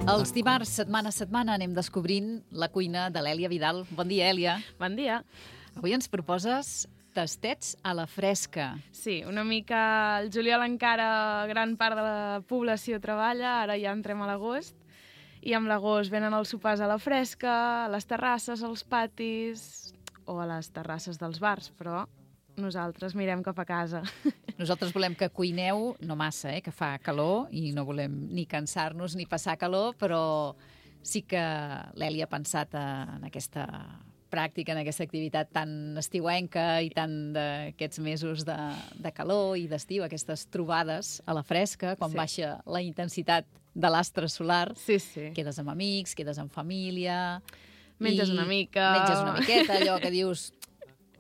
Els dimarts, setmana a setmana, anem descobrint la cuina de l'Èlia Vidal. Bon dia, Èlia. Bon dia. Avui ens proposes tastets a la fresca. Sí, una mica el juliol encara gran part de la població treballa, ara ja entrem a l'agost, i amb l'agost venen els sopars a la fresca, a les terrasses, als patis o a les terrasses dels bars, però nosaltres mirem cap a casa. Nosaltres volem que cuineu, no massa, que fa calor, i no volem ni cansar-nos ni passar calor, però sí que l'Èlia ha pensat en aquesta pràctica, en aquesta activitat tan estiuenca i tan d'aquests mesos de calor i d'estiu, aquestes trobades a la fresca, quan baixa la intensitat de l'astre solar. Sí, sí. Quedes amb amics, quedes amb família... Menges una mica... Menges una miqueta, allò que dius...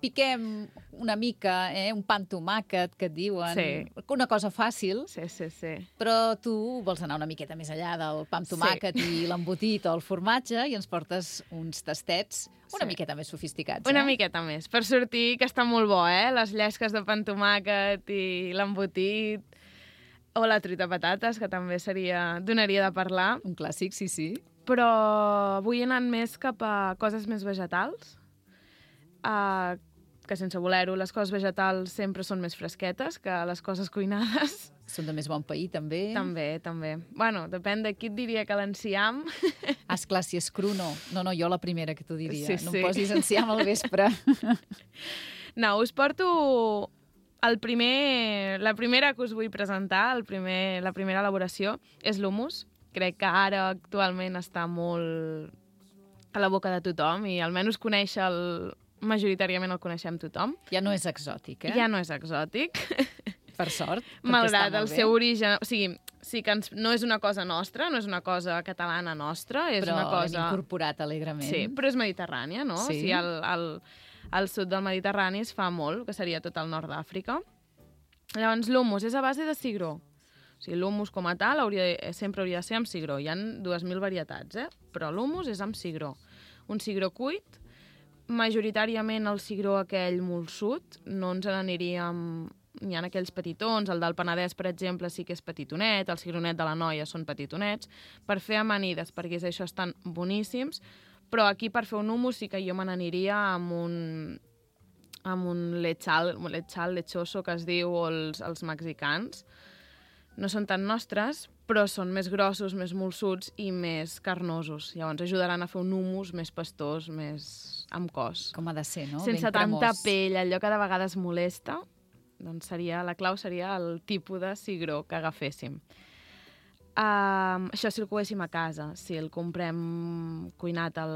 Piquem una mica, un pa amb tomàquet, que et diuen. Sí. Una cosa fàcil. Sí, sí, sí. Però tu vols anar una miqueta més allà del pa amb tomàquet i l'embotit o el formatge i ens portes uns tastets una miqueta més sofisticats. Una miqueta més, per sortir, que està molt bo, les llesques de pa amb tomàquet i l'embotit, o la truita patates, que també donaria de parlar. Un clàssic, sí, sí. Però vull anar més cap a coses més vegetals, que sense voler-ho, les coses vegetals sempre són més fresquetes que les coses cuinades. Són de més bon pair, també. També. Bueno, depèn de qui et diria que l'enciam. Esclar, si és cru, no. No, jo la primera que t'ho diria. Sí, no em posis enciam al vespre. No, us porto la primera que us vull presentar, la primera elaboració, és l'humus. Crec que ara actualment està molt a la boca de tothom i almenys majoritàriament el coneixem tothom. Ja no és exòtic, Ja no és exòtic. Per sort. Malgrat el seu origen... O sigui, sí que no és una cosa nostra, no és una cosa catalana nostra, és una cosa... Però hem incorporat alegrement. Sí, però és mediterrània, no? Sí. O sigui, al sud del Mediterrani es fa molt, que seria tot el nord d'Àfrica. Llavors, l'humus és a base de cigró. O sigui, l'humus com a tal sempre hauria de ser amb cigró. Hi ha 2.000 varietats, però l'humus és amb cigró. Un cigró cuit, majoritàriament el cigró aquell molsut, no ens n'aniríem... Hi ha aquells petitons, el del Penedès, per exemple, sí que és petitonet, el cigronet de la Noia són petitonets, per fer amanides, perquè això estan boníssims, però aquí per fer un humus sí que jo me n'aniria amb un lechal lechoso, que es diu, o els mexicans. No són tan nostres, però són més grossos, més molsuts i més carnosos. Llavors ajudaran a fer un humus més pastós, més amb cos. Com ha de ser, no? Sense ben tanta cremós. pell, allò que de vegades molesta, doncs la clau seria el tipus de cigró que agaféssim. Això si el coguéssim a casa. Si el comprem cuinat a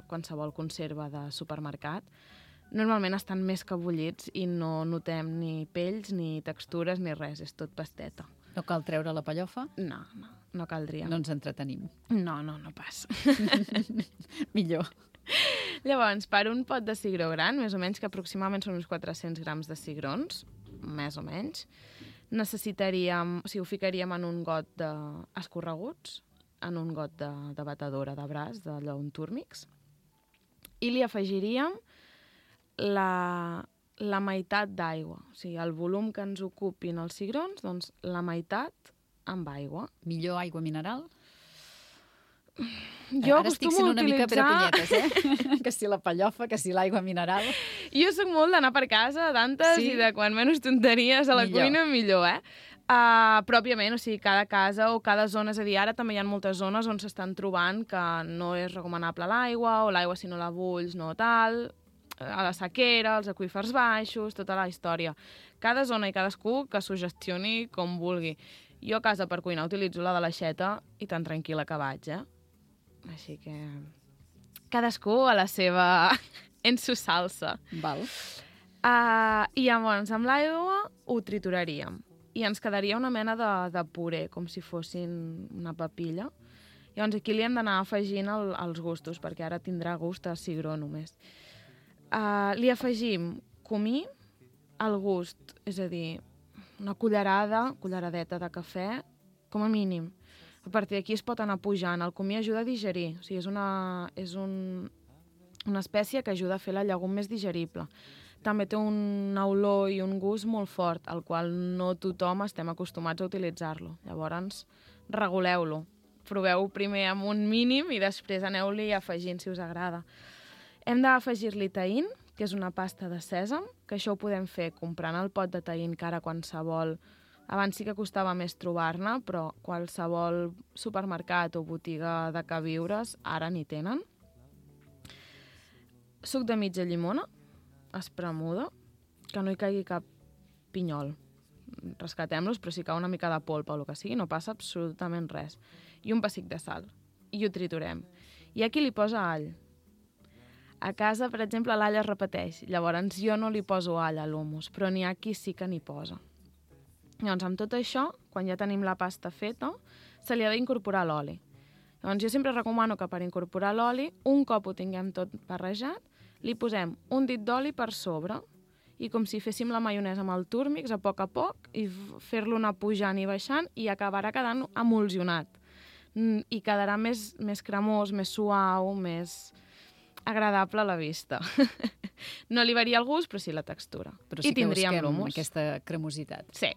qualsevol conserva de supermercat, normalment estan més que bullits i no notem ni pells, ni textures, ni res. És tot pasteta. No cal treure la pellofa? No caldria. No ens entretenim. No pas. Millor. Llavors, per un pot de cigró gran, més o menys, que aproximadament són uns 400 grams de cigrons, més o menys, necessitaríem, o sigui, ho ficaríem en un got escorreguts, en un got de batedora de braç, d'allò, un túrmix, i li afegiríem la meitat d'aigua. O sigui, el volum que ens ocupin els cigrons, doncs la meitat amb aigua. Millor aigua mineral? Jo ara estic sent una mica perepunyetes, que si la pellofa, que si l'aigua mineral... Jo soc molt d'anar per casa, d'antes, i de quan menys tonteries a la cuina, millor, Però, òbviament, o sigui, cada casa o cada zona, és a dir, ara també hi ha moltes zones on s'estan trobant que no és recomanable l'aigua, o l'aigua, si no la bulls, no tal, a la sequera, els aqüífers baixos, tota la història. Cada zona i cadascú que s'ho gestioni com vulgui. Jo a casa per cuinar utilitzo la de l'aixeta i tan tranquil·la que vaig, Així que cadascú a la seva... en su salsa. Val. I llavors amb l'aigua ho trituraríem i ens quedaria una mena de puré, com si fossin una papilla. Llavors aquí li hem d'anar afegint els gustos, perquè ara tindrà gust a cigró només. Li afegim comí, al gust, és a dir, una culleradeta de cafè, com a mínim. A partir d'aquí es pot anar pujant. El comí ajuda a digerir, o sigui, és una espècie que ajuda a fer la llegum més digerible. També té una olor i un gust molt fort, al qual no tothom estem acostumats a utilitzar-lo. Llavors, reguleu-lo. proveu primer amb un mínim i després aneu-li afegint si us agrada. Hem d'afegir-li taïn, que és una pasta de sèsam, que això ho podem fer comprant el pot de taïn que ara qualsevol... Abans sí que costava més trobar-ne, però qualsevol supermercat o botiga de queviures ara n'hi tenen. Suc de mitja llimona, espremuda, que no hi caigui cap pinyol. Rescatem-los, però si cau una mica de polpa o el que sigui, no passa absolutament res. I un pessic de sal. I ho triturem. Hi ha qui li posa all. A casa, per exemple, l'all es repeteix. Llavors, jo no li poso all a l'humus, però n'hi ha qui sí que n'hi posa. Llavors, amb tot això, quan ja tenim la pasta feta, se li ha d'incorporar l'oli. Llavors, jo sempre recomano que per incorporar l'oli, un cop ho tinguem tot barrejat, li posem un dit d'oli per sobre i com si féssim la maionesa amb el túrmix a poc, i fer-lo anar pujant i baixant i acabarà quedant emulsionat. I quedarà més cremós, més suau, més agradable a la vista. No li varia el gust, però sí la textura. Però sí I que tindríem busquem l'humus. aquesta cremositat. Sí.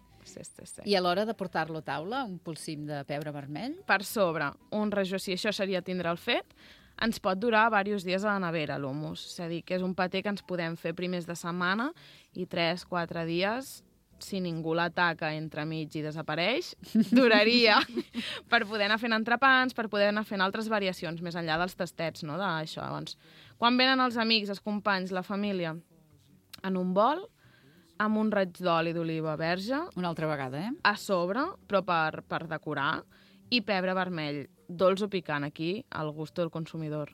I a l'hora de portar-lo a taula, un polsim de pebre vermell? Per sobre, un rajó, si això seria tindre el fet, ens pot durar diversos dies a la nevera, l'humus. És a dir, que és un paté que ens podem fer primers de setmana i 3-4 dies, si ningú l'ataca entremig i desapareix, duraria per poder anar fent entrepans, per poder anar fent altres variacions, més enllà dels tastets, no?, d'això. Doncs, quan venen els amics, els companys, la família, en un bol, amb un raig d'oli d'oliva verge. Una altra vegada, A sobre, però per decorar, i pebre vermell, dolç o picant, aquí, al gust del consumidor.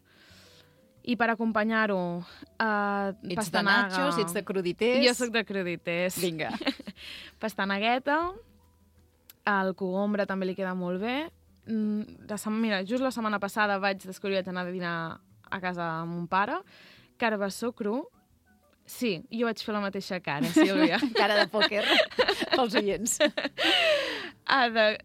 I per acompanyar-ho, Ets pastanaga... de nachos, ets de crudités... Jo sóc de crudités. Vinga. Pastanagueta, el cogombre també li queda molt bé. Mira, just la setmana passada vaig descobrir, vaig anar a dinar a casa amb mon pare, carbassó cru. Sí, jo vaig fer la mateixa cara, Sílvia. Cara de pòquer, pels oients.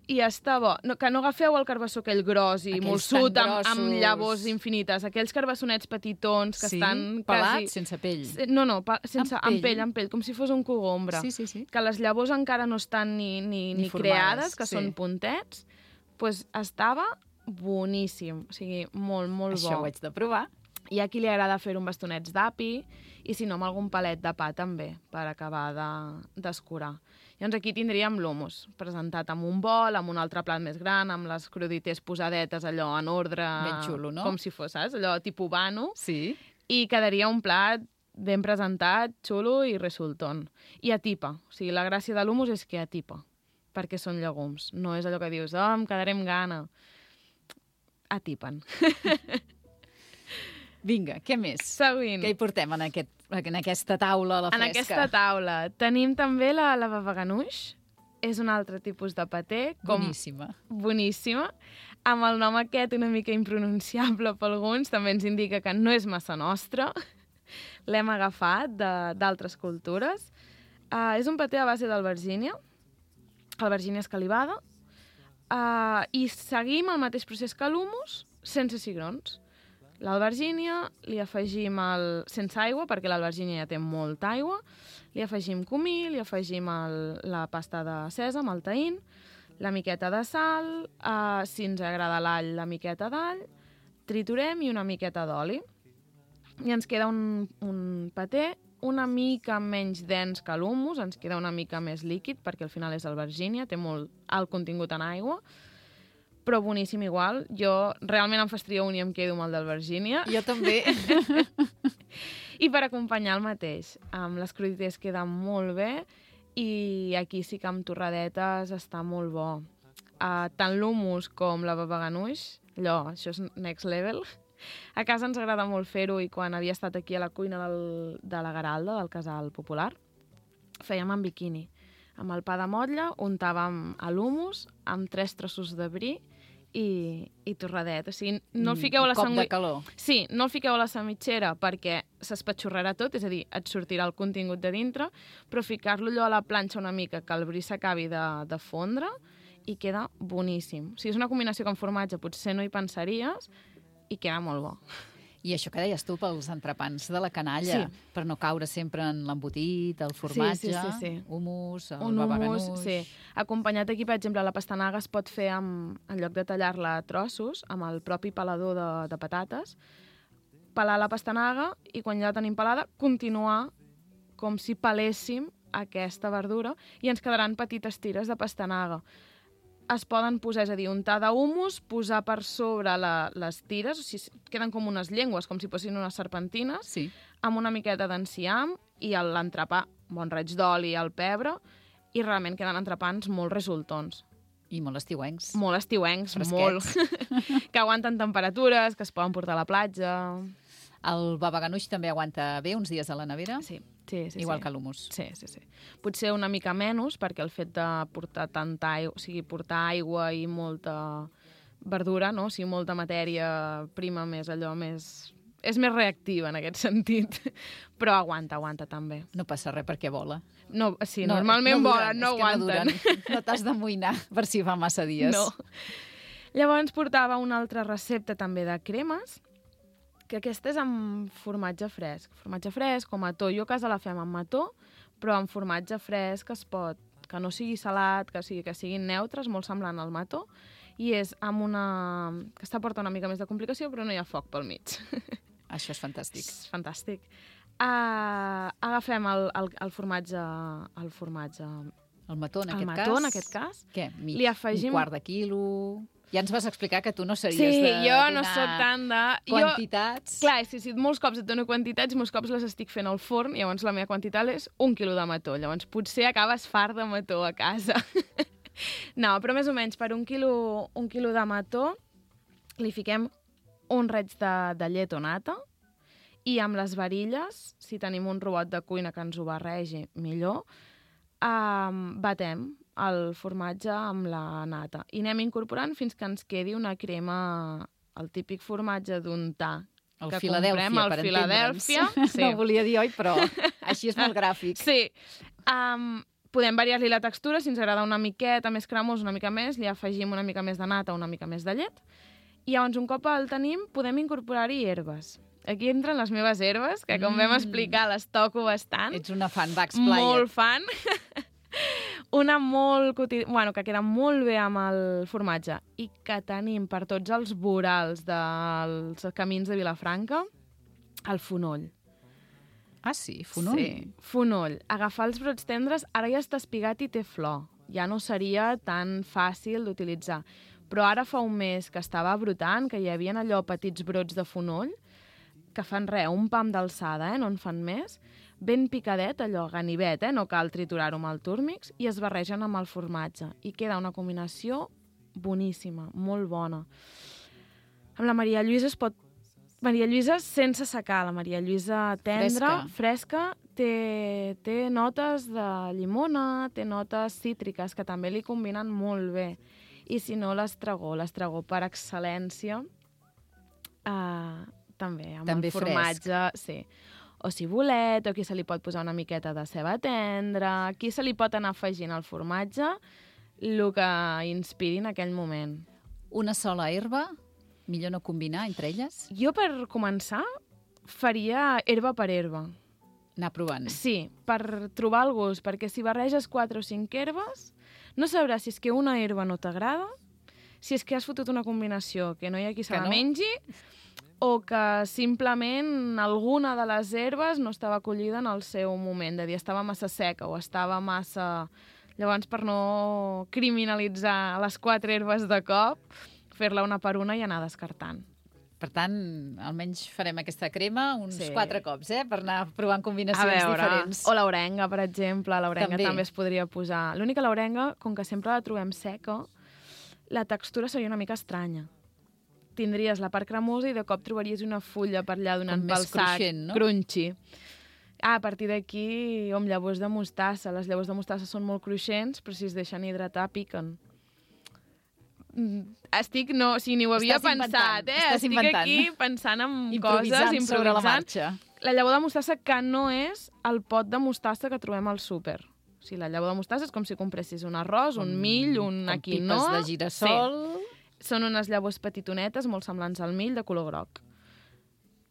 I està bo. No, que no agafeu el carbassó aquell gros i molsut amb llavors infinites. Aquells carbassonets petitons que estan pelats, quasi... sense pell. No, sense, amb pell, com si fos un cogombre. Sí. Que les llavors encara no estan ni creades, que són puntets. Doncs estava boníssim. O sigui, molt, molt bo. Això ho haig de provar. Hi ha qui li agrada fer un bastonets d'api i si no amb algun palet de pa també, per acabar d'escurar. Llavors aquí tindríem l'humus, presentat amb un bol, amb un altre plat més gran, amb les crudités posadetes allò en ordre... Ben xulo, no? Com si fos, saps? Allò tipus vano. Sí. I quedaria un plat ben presentat, xulo i resultón. I atipa. O sigui, la gràcia de l'humus és que atipa, perquè són llegums. No és allò que dius, em quedaré amb gana. Atipen. Vinga, què més? Seguint. Què hi portem en aquesta taula a la fresca? En aquesta taula tenim també la baba ganoush. És un altre tipus de paté. Boníssima. Boníssima. Amb el nom aquest una mica impronunciable per alguns, també ens indica que no és massa nostre. L'hem agafat d'altres cultures. És un paté a base d'albergínia, albergínia escalivada, i seguim el mateix procés que l'humus, sense cigrons. L'albergínia, li afegim sense aigua, perquè l'albergínia ja té molta aigua, li afegim comí, li afegim la pasta de sèsam, el taïn, la miqueta de sal, si ens agrada l'all, la miqueta d'all, triturem i una miqueta d'oli. I ens queda un paté una mica menys dens que l'humus, ens queda una mica més líquid, perquè al final és albergínia, té molt alt contingut en aigua, però boníssim igual. Jo realment em fastidio un i em quedo amb el d'albergínia. Jo també. I per acompanyar el mateix, amb les crudités queda molt bé i aquí sí que amb torradetes està molt bo. Tant l'humus com la baba ganoush, això és next level. A casa ens agrada molt fer-ho i quan havia estat aquí a la cuina de la Garalda, del Casal Popular, fèiem en biquini. Amb el pa de motlla untàvem l'humus amb 3 trossos de brie i torradet. O sigui, no el fiqueu a la cop de calor. Sí, no el fiqueu a la sandwichera perquè s'espatxorrarà tot, és a dir, et sortirà el contingut de dintre, però ficar-lo allò a la planxa una mica, que el brie s'acabi de fondre i queda boníssim. O sigui, és una combinació que amb formatge potser no hi pensaries i queda molt bo. I això que deies tu pels entrepans de la canalla, per no caure sempre en l'embotit, el formatge, hummus, el babaganús... Sí. Acompanyat aquí, per exemple, la pastanaga es pot fer en lloc de tallar-la a trossos, amb el propi pelador de patates, pelar la pastanaga i quan ja la tenim pelada, continuar com si peléssim aquesta verdura i ens quedaran petites tires de pastanaga. Es poden posar, és a dir, untar d'hummus, posar per sobre les tires, o sigui, queden com unes llengües, com si fossin unes serpentines, amb una miqueta d'enciam i l'entrepà, bon raig d'oli, el pebre, i realment queden entrepans molt resultons. I molt estiuencs. Molt estiuencs, molt. Que aguanten temperatures, que es poden portar a la platja... El babaganús també aguanta bé uns dies a la nevera? Sí. Igual que l'hummus. Sí. Potser una mica menys, perquè el fet de portar tanta aigua, o sigui, portar aigua i molta verdura, no? O sigui, molta matèria prima més, allò més... És més reactiva en aquest sentit, però aguanta també. No passa res perquè vola. No, sí, normalment volen, no aguanten. No t'has d'amoïnar per si fa massa dies. No. Llavors portava una altra recepta també de cremes, que aquesta és amb formatge fresc. Formatge fresc o mató. Jo a casa la fem amb mató, però amb formatge fresc que no sigui salat, que siguin neutres, molt semblant al mató, i és amb una... Aquesta porta una mica més de complicació, però no hi ha foc pel mig. Això és fantàstic. És fantàstic. Agafem el formatge... El mató, en aquest cas? Què? Li afegim... Un quart de quilo... Ja ens vas explicar que tu no series de donar jo no soc tant de... quantitats. Clar, sí, molts cops et dono quantitats, molts cops les estic fent al forn, llavors la meva quantitat és 1 quilo de mató. Llavors potser acabes fart de mató a casa. No, però més o menys per 1 quilo de mató li fiquem un raig de llet o nata i amb les varilles, si tenim un robot de cuina que ens ho barregi, millor, batem el formatge amb la nata. I anem incorporant fins que ens quedi una crema, el típic formatge d'untar. El Filadèlfia, per entendre'ns. Sí. No volia dir, oi, però així és molt gràfic. Sí. Podem variar-li la textura, si ens agrada una miqueta més cremós, una mica més, li afegim una mica més de nata, una mica més de llet. I llavors, un cop el tenim, podem incorporar-hi herbes. Aquí entren les meves herbes, que com vam explicar, les toco bastant. Ets una fan, va, explaia. Molt fan. Una que queda molt bé amb el formatge i que tenim per tots els vorals dels camins de Vilafranca, el fonoll. Ah, sí? Fonoll? Sí, fonoll. Agafar els brots tendres, ara ja està espigat i té flor. Ja no seria tan fàcil d'utilitzar. Però ara fa un mes que estava brotant, que hi havia allò petits brots de fonoll, que fan un pam d'alçada, no en fan més, ben picadet, allò, ganivet, no cal triturar-ho amb el túrmix, i es barregen amb el formatge. I queda una combinació boníssima, molt bona. Amb la Maria Lluïsa es pot... Maria Lluïsa sense secar, la Maria Lluïsa tendra, fresca, té notes de llimona, té notes cítriques, que també li combinen molt bé. I si no, l'estragó per excel·lència, també, amb el formatge, sí. O cibulet, o aquí se li pot posar una miqueta de ceba tendra, aquí se li pot anar afegint al formatge el que inspiri en aquell moment. Una sola herba? Millor no combinar entre elles? Jo, per començar, faria herba per herba. Anar provant. Sí, per trobar el gust, perquè si barreges 4 o 5 herbes, no sabràs si és que una herba no t'agrada, si és que has fotut una combinació que no hi ha qui se la mengi, o que simplement alguna de les herbes no estava acollida en el seu moment, de dir, estava massa seca o estava massa... Llavors, per no criminalitzar les 4 herbes de cop, fer-la una per una i anar descartant. Per tant, almenys farem aquesta crema uns 4 cops, per anar provant combinacions diferents. O l'orenga, per exemple. L'orenga també es podria posar. L'única l'orenga, com que sempre la trobem seca, la textura seria una mica estranya. Tindries la part cremosa i de cop trobaries una fulla per allà donant pel sac. Cruixent, no? Crunchy. A partir d'aquí, amb llavors de mostassa. Les llavors de mostassa són molt cruixents, però si es deixen hidratar, piquen. Ni ho havia pensat, Estic aquí pensant en coses, improvisant sobre la marxa. La llavor de mostassa que no és el pot de mostassa que trobem al súper. O sigui, la llavor de mostassa és com si compressis un arròs, un mill, una quinoa... Com pipes de girassol... Sí. Són unes llavors petitonetes, molt semblants al mill, de color groc.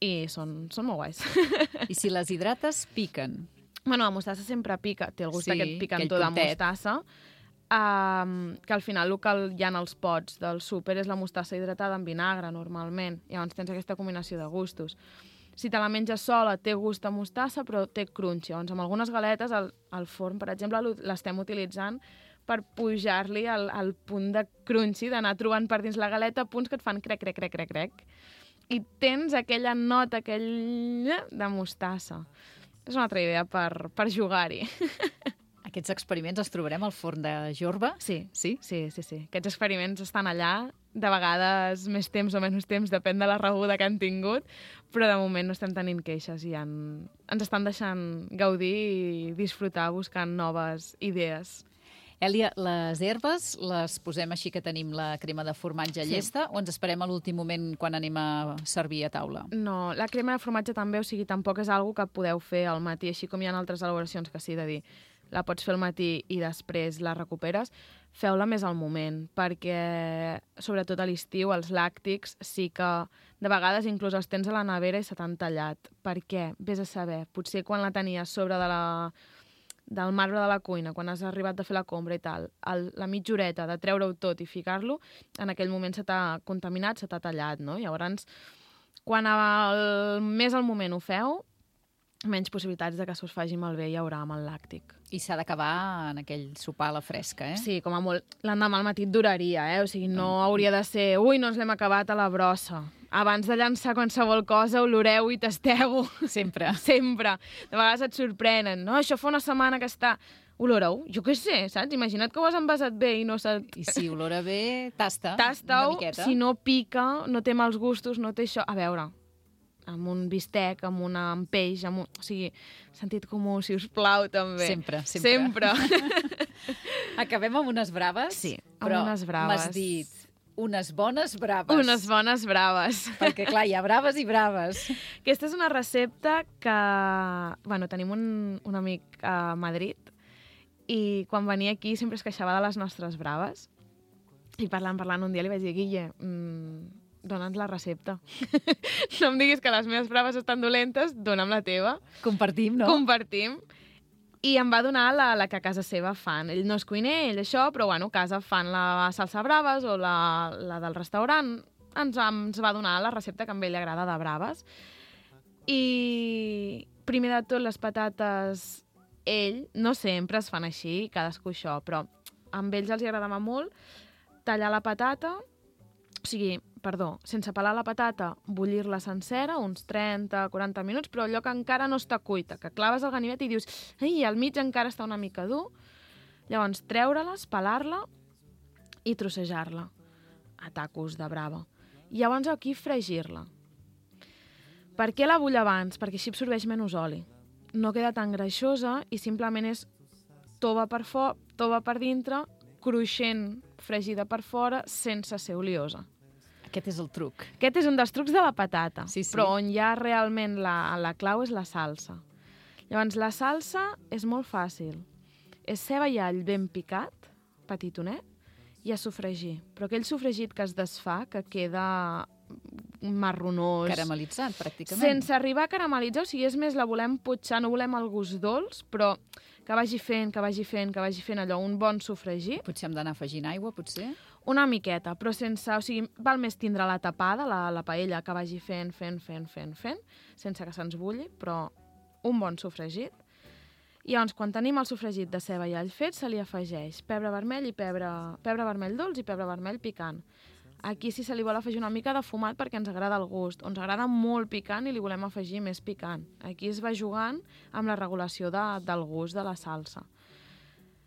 i són molt guais. I si les hidrates, piquen. Bueno, la mostassa sempre pica, té el gust Sí, aquest aquell picantó de puntet. mostassa, que al final el que hi ha als pots del súper és la mostassa hidratada amb vinagre, normalment. Llavors tens aquesta combinació de gustos. Si te la menges sola, té gust a mostassa, però té crunch. Llavors, amb algunes galetes, al forn, per exemple, l'estem utilitzant per pujar-li el punt de crunchy, d'anar trobant per dins la galeta punts que et fan crec, crec, crec, crec, crec. I tens aquella nota, aquell de mostassa. És una altra idea per jugar-hi. Aquests experiments els trobarem al forn de Jorba? Sí. Sí? Sí. Aquests experiments estan allà, de vegades més temps o menys temps, depèn de la rebuda que han tingut, però de moment no estem tenint queixes i ens estan deixant gaudir i disfrutar buscant noves idees. Èlia, les herbes les posem així que tenim la crema de formatge llesta o ens esperem a l'últim moment quan anem a servir a taula? No, la crema de formatge també, o sigui, tampoc és algo que podeu fer al matí, així com hi ha altres elaboracions que sí, de dir, la pots fer al matí i després la recuperes, feu-la més al moment, perquè, sobretot a l'estiu, els làctics sí que de vegades inclús els tens a la nevera i se t'han tallat. Per què? Vés a saber. Potser quan la tenies sobre del marbre de la cuina, quan has arribat a fer la compra i tal, la mitja horeta de treure-ho tot i ficar-lo, en aquell moment se t'ha contaminat, se t'ha tallat, no? Llavors, quan més al moment ho feu, menys possibilitats de que se us faci malbé hi haurà amb el làctic. I s'ha d'acabar en aquell sopar a la fresca, eh? Sí, com a molt. L'endemà al matí et duraria, o sigui, no hauria de ser ui, no ens l'hem acabat a la brossa. Abans de llançar qualsevol cosa, oloreu i tasteu-ho. Sempre. Sempre. De vegades et sorprenen. No, això fa una setmana que està... Oloreu? Jo què sé, saps? Imagina't que ho has envasat bé i no I si olora bé, tasta una Tasta-ho, miqueta. si no pica, no té mals gustos, no té això... A veure, amb un bistec, amb peix, o sigui, sentit comú, si us plau, també. Sempre. Acabem amb unes braves? Sí, amb però unes braves. m'has dit unes bones braves. Unes bones braves. Perquè, clar, hi ha braves i braves. Aquesta és una recepta que... Bueno, tenim un amic a Madrid i quan venia aquí sempre es queixava de les nostres braves. I parlant un dia li vaig dir, Guille, dona'ns la recepta. No em diguis que les meves braves estan dolentes, dona'm la teva. Compartim, no? Compartim. I em va donar la que a casa seva fan. Ell no és cuiner, ell això, però bueno, a casa fan la salsa braves o la del restaurant. Ens va donar la recepta que a ell li agrada de braves. I primer de tot, les patates, no sempre es fan així, cadascú això, però amb ells els agradava molt tallar la patata, sense pelar la patata, bullir-la sencera, uns 30-40 minuts, però allò que encara no està cuita, que claves el ganivet i dius, ai, al mig encara està una mica dur. Llavors, treure-les, pelar-la i trossejar-la a tacos de brava. I llavors aquí fregir-la. Per què la vull abans? Perquè així absorbeix menys oli. No queda tan greixosa i simplement és tova per dintre, cruixent, fregida per fora, sense ser oliosa. Aquest és el truc. Aquest és un dels trucs de la patata, Sí. però on hi ha realment la clau és la salsa. Llavors, la salsa és molt fàcil. És ceba i all ben picat, petitonet, i a sofregir. Però aquell sofregit que es desfà, que queda marronós... Caramelitzat, pràcticament. Sense arribar a caramelitzar, o sigui, és més, la volem potxar, no volem el gust dolç, però que vagi fent allò, un bon sofregit. Potser hem d'anar afegint aigua, potser? Una miqueta, però sense... O sigui, val més tindre la tapada, la paella, que vagi fent, sense que se'ns bulli, però un bon sofregit. I llavors, quan tenim el sofregit de ceba i all fet, se li afegeix pebre vermell vermell dolç i pebre vermell picant. Aquí sí se li vol afegir una mica de fumat perquè ens agrada el gust, o ens agrada molt picant i li volem afegir més picant. Aquí es va jugant amb la regulació del gust de la salsa.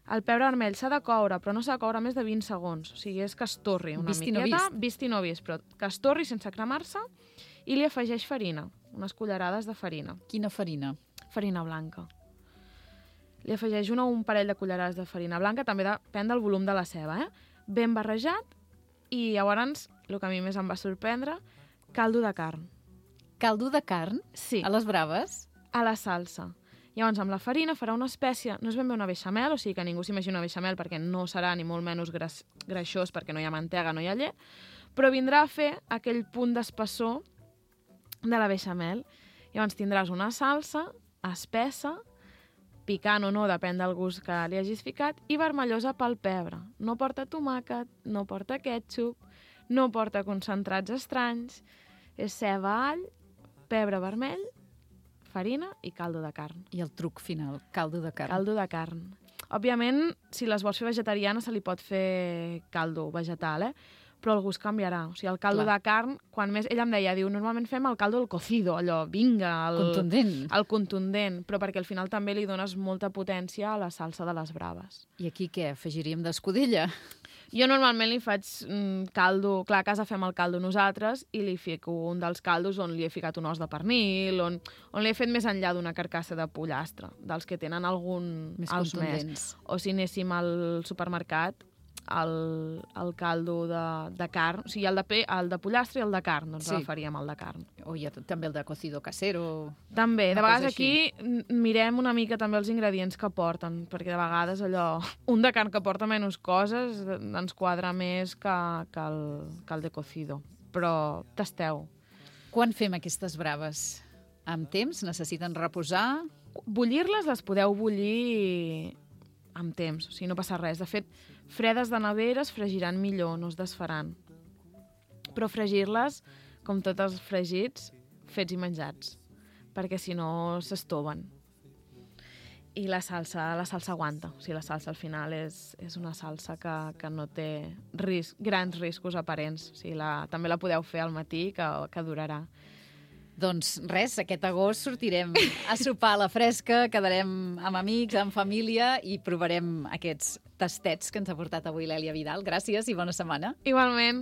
El pebre vermell s'ha de coure, però no s'ha de coure més de 20 segons. O sigui, és que es torri una miqueta. Vist i no vist, però que es torri sense cremar-se, i li afegeix farina, unes cullerades de farina. Quina farina? Farina blanca. Li afegeix un parell de cullerades de farina blanca, també depèn del volum de la ceba, ben barrejat, i llavors, el que a mi més em va sorprendre, caldo de carn. Caldo de carn? Sí. A les braves? A la salsa. Llavors, amb la farina farà una espècie, no és ben bé una beixamel, o sigui que ningú s'imagina una beixamel perquè no serà ni molt menys greixós perquè no hi ha mantega, no hi ha llet, però vindrà a fer aquell punt d'espessor de la beixamel. Llavors tindràs una salsa espessa, picant o no, depèn del gust que li hagis ficat, i vermellosa pel pebre. No porta tomàquet, no porta ketchup, no porta concentrats estranys, és ceba, all, pebre vermell, farina i caldo de carn. I el truc final, caldo de carn. Caldo de carn. Òbviament, si les vols fer vegetariana, se li pot fer caldo vegetal, però el gust canviarà. O sigui, el caldo de carn, quan més... Ella em deia, diu, normalment fem el caldo del cocido, allò, vinga, Contundent. el contundent, però perquè al final també li dones molta potència a la salsa de les braves. I aquí què? Afegiríem d'escudella? Jo normalment li faig caldo... Clar, a casa fem el caldo nosaltres i li fico un dels caldos on li he ficat un os de pernil, on li he fet més enllà d'una carcassa de pollastre, dels que tenen algun... Més contundents. O si anéssim al supermercat, el caldo de carn, o sigui, el de pollastre i el de carn, doncs agafaríem el de carn. O hi ha també el de cocido casero. També, de vegades aquí mirem una mica també els ingredients que porten, perquè de vegades allò, un de carn que porta menys coses ens quadra més que el de cocido. Però tasteu. Quan fem aquestes braves? Amb temps? Necessiten reposar? Bullir-les les podeu bullir amb temps, o sigui, no passa res. De fet, fredes de nevera es fregiran millor, no es desfaran. Però fregir-les, com tots els fregits, fets i menjats, perquè si no s'estoven. I la salsa aguanta. O sigui, la salsa al final és una salsa que no té grans riscos aparents. O sigui, també la podeu fer al matí, que durarà. Doncs res, aquest agost sortirem a sopar a la fresca, quedarem amb amics, amb família i provarem aquests tastets que ens ha portat avui l'Èlia Vidal. Gràcies i bona setmana. Igualment.